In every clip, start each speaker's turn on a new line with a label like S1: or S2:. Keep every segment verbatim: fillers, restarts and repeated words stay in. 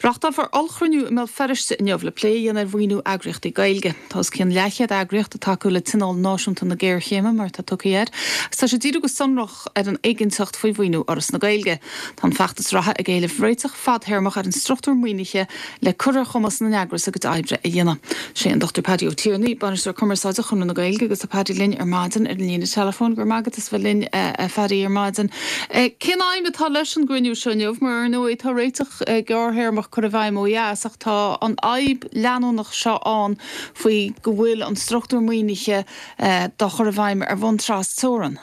S1: Reáchtálfar ollchruinniú i mBéal Feirste inniu le plé a dhéanamh ar mhaoiniú eagraíochtaí Gaeilge. Tá os cionn leathchéad eagraíocht ag tacú le Tionól Náisiúnta na Géarchéime mar atá tugtha air, agus tá sé ag díriú go sonrach ar an éiginnteacht faoi mhaoiniú Fhoras na Gaeilge. Tá an feachtas reatha ag éileamh réiteach fadtéarmach ar an struchtúr maoinithe le cur ar chumas na n-eagras a gcuid oibre a dhéanamh. Sé an Dochtúir Paddy Ó Tiarnaigh, Bainisteoir Cumarsáide Chonradh na Gaeilge agus tá Paddy linn ar maidin ar an líne teileafóin go raibh maith agat as bheith linn a Phaddy ar maidin. Cén aidhm atá leis an gcruinniú seo inniu mar ar ndóigh tá réiteach gearrthéarmach curtha i bhfeidhm ó dheas ach tá an fhadhb leanúnach seo ann faoi go bhfuil an struchtúr maoinithe dá chur i bhfeidhm ar bhonn trasteorann.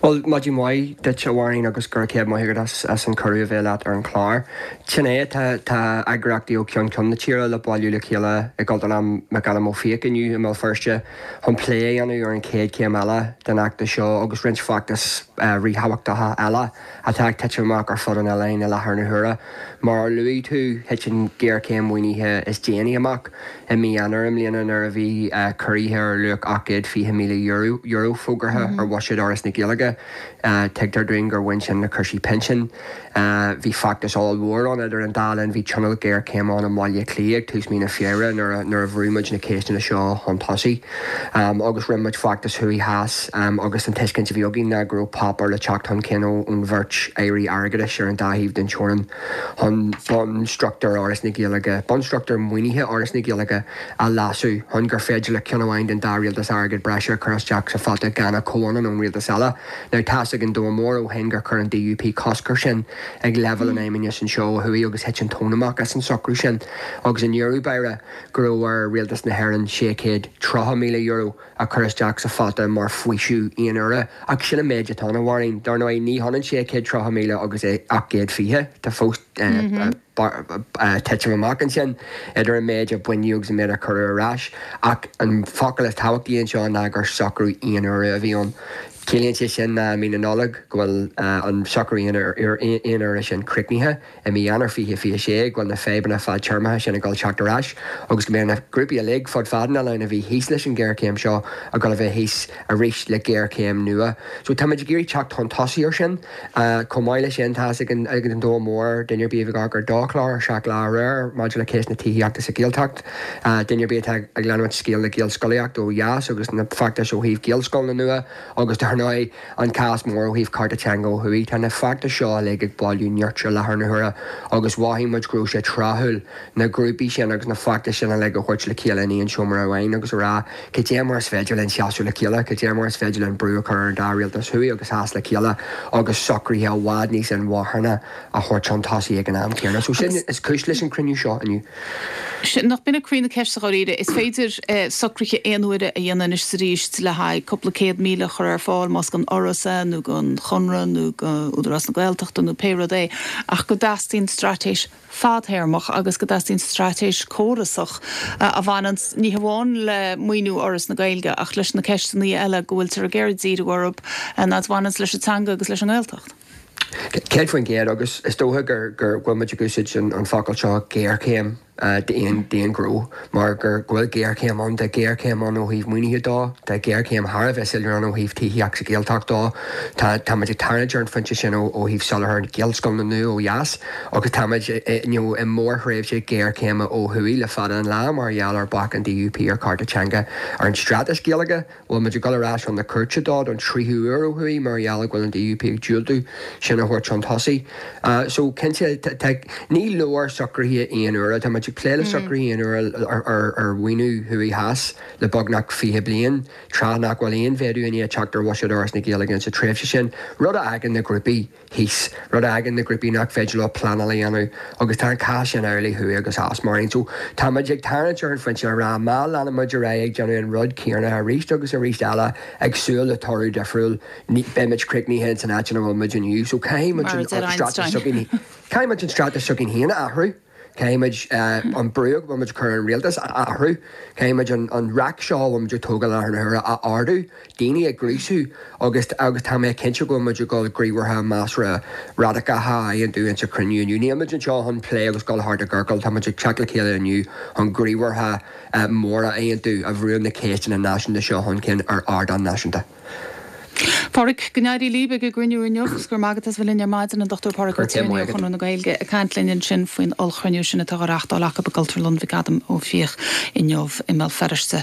S2: Well maidin mhaith duit a Mháirín agus go raibh céad maith agat as as an cuireadh a bheith leat ar an chlár. Sin é tá tá eagraíochtaí ó cheann ceann na tíre le bailiú le chéile i gCultúrlann McAdam Ó Fiaich inniu i mBéal Feirste chun plé a dhéanamh ar an chéad chéim eile den fheachtas seo agus roinnt feachtas ríthábhachtacha eile atá ag titim amach ar fud an oileáin i láthair na huaire. Mar a luaigh tú thit an ghéarchéim mhaoinithe is déanaí amach i mí Eanáir i mbliana nuair a bhí ciorruithe ar luach ocht gcéad fiche míle euro euro fógartha ar bhuiséad Fhoras na Gaeilge. Tuigtear dúinn gur bhain sin le cúrsaí pinsin. Bhí feachtas ollmhór ann idir an dá linn, bhí tionól géarchéime ann i mBaile Átha Cliath ag tús mí na Feabhra nuair nuair a bhrú muid na ceisteanna seo chun tosaigh. Agus rinne muid feachtas thuaidh theas agus an tuiscint a bhí againn ná go raibh páipéar le teacht chun cinn ón bheirt airí airgeadais ar an dá thaobh den teorainn chun bunstruchtúr Fhoras na Gaeilge, bunstruchtúr maoinithe Fhoras na Gaeilge a leasú chun gur féidir le ceann amháin den dá rialtas airgead breise a chur isteach sa phota gan a chomhionann ón rialtas eile. Now tá a fhios ag an domhan mór ó shin gur chuir an D U P cosc air sin ag leibhéal an fheidhmeannais anseo ó thuaidh agus thit an tóin amach as an socrú sin agus i ndeireadh báire go raibh ar rialtas na hÉireann sé chéad tríocha míle euro a chur isteach sa phota mar faoiseamh aon uaire ach sin an méid atá ann a Mháirín. Dar ndóigh ní hionann sé chéad tríocha míle agus é ocht gcéad fiche tá fós titim amach ansin idir an méid a baineadh agus an méid a cuireadh ar ais ach an focal is tábhachtaí anseo ná gur socrú aon uaire a bhí ann. Ciallaíonn sé sin ná mí na Nollag go bhfuil an socrú aon uaire sin críochnaithe i mí Eanáir fiche fiche sé go bhfuil na fadhbanna fadtéarmacha sin ag dul teacht ar ais agus go mbeidh na grúpaí uilig fud fad an oileáin a bhí thíos leis an ghéarchéim seo ag dul a bheith thíos arís le géarchéim nua. So táimid ag iarraidh teacht chun tosaigh ar sin chomh maith leis sin tá ag an ag an domhan mór duine ar bith ag amharc ar do chlár Seacht Lá aréir maidir le cás na tithíochta sa Ghaeltacht. Duine ar bith atá ag leanúint scéal na Gaelscolaíocht ó dheas agus na feachtais ó thaobh Gaelscoileanna nua agus dar ndóigh an cás mór ó thaobh cárta teanga ó thuaidh. Tá na feachtais seo uilig ag bailiú nirt i láthair na huaire agus mhothaigh muid go raibh sé tráthúil na grúpaí sin agus na feachtais sin uilig a thabhairt le chéile in aon seomra amháin agus a rá cad é mar is féidir linn seasamh le chéile, cad é mar is féidir linn brú a chur ar an dá rialtas thuaidh agus theas le chéile agus socruithe i bhfad níos inmharthana a thabhairt chun tosaigh ag an am céanna. So sin is cúis leis an cruinniú seo inniu.
S1: Nach b'in é croí na ceiste dháiríre, is féidir socruithe aon uaire a dhéanamh anois arís le haghaidh cúpla céad míle a chur ar fáil más don Fhoras é nó don Chonradh nó go Údarás na Gaeltachta nó pé rud é ach go dteastaíonn straitéis fadtéarmach agus go dteastaíonn straitéis córasach a bhaineann ní hamháin le maoiniú Fhoras na Gaeilge ach leis na ceisteanna eile go bhfuiltear ag iarraidh díriú orthu ná bhaineann leis an teanga agus leis an nGaeltacht.
S2: Céad faoin gcéad agus is dócha gur gur bhfuil muid ag úsáid an focal seo géarchéim d'aon d'aon ghnó mar gur go bhfuil géarchéim ann tá géarchéim ann ó thaobh maoinithe dó tá géarchéim thar a bheith soiléir ann ó thaobh tithíocht sa Ghaeltacht dó tá táimid ag tarraingt ar an phointe sin ó ó thaobh soláthar Gaelscoileanna nua ó dheas agus táimid i mórthréimhse géarchéime ó thuaidh le fada an lá mar gheall ar bac an D U P ar cárta teanga ar an straitéis Gaeilge bhfuil muid ag dul ar ais chun na cúirte dó don tríú huair ó thuaidh mar gheall go bhfuil an D U P ag diúltú sin a thabhairt chun tosaigh. So cinnte ní leor socruithe aon uaire tá muid ag plé le socruithe aon uaire ar ar mhaoiniú thuaidh theas le beagnach fiche bliain tráth nach bhfuil aon mhéadú i ndiaidh teacht ar bhuiséad Fhoras na Gaeilge sa tréimhse sin rud a fhágann na grúpaí thíos rud a fhágann na grúpaí nach féidir leo pleanáil a dhéanamh agus tá an cás sin amhlaidh thuaidh agus theas mar aon. So tá muid ag tarraingt ar an phointe a rá má leanann muid ar aghaidh ag déanamh an rud céanna arís agus arís eile ag súil le toradh difriúil beimid críochnaithe san áit ina bhfuil muid inniu. So caithfidh muid an straitéis s'againn caithfidh muid an straitéis s'againn féin a athrú. Caithfidh muid an brú go bhfuil muid ag cur ar an rialtas a athrú. Caithfidh muid an raic seo a bhfuil muid ag tógáil i láthair na huaire a ardú, daoine a ghríosú agus agus tá mé cinnte go bhfuil muid ag dul gníomhartha measartha radacacha a aontú insa chruinniú inniu. Níl muid anseo chun plé agus dul thart i gciorcal, tá muid ag teacht le chéile inniu chun gníomhartha móra a aontú a bhrúnn na ceisteanna náisiúnta seo chun cinn ar ardán náisiúnta.
S1: Pádraig go n-éirí libh ag an gcruinniú inniu agus go raibh maith agat as bheith linn ar maidin an Dr Pádraig Ó Tuama Chonradh na Gaeilge ag caint linn ansin faoin ollchruinniú sin atá á reáchtáil acu i gCultúrlann McAdam Ó Fiaich inniu i mBéal Feirste.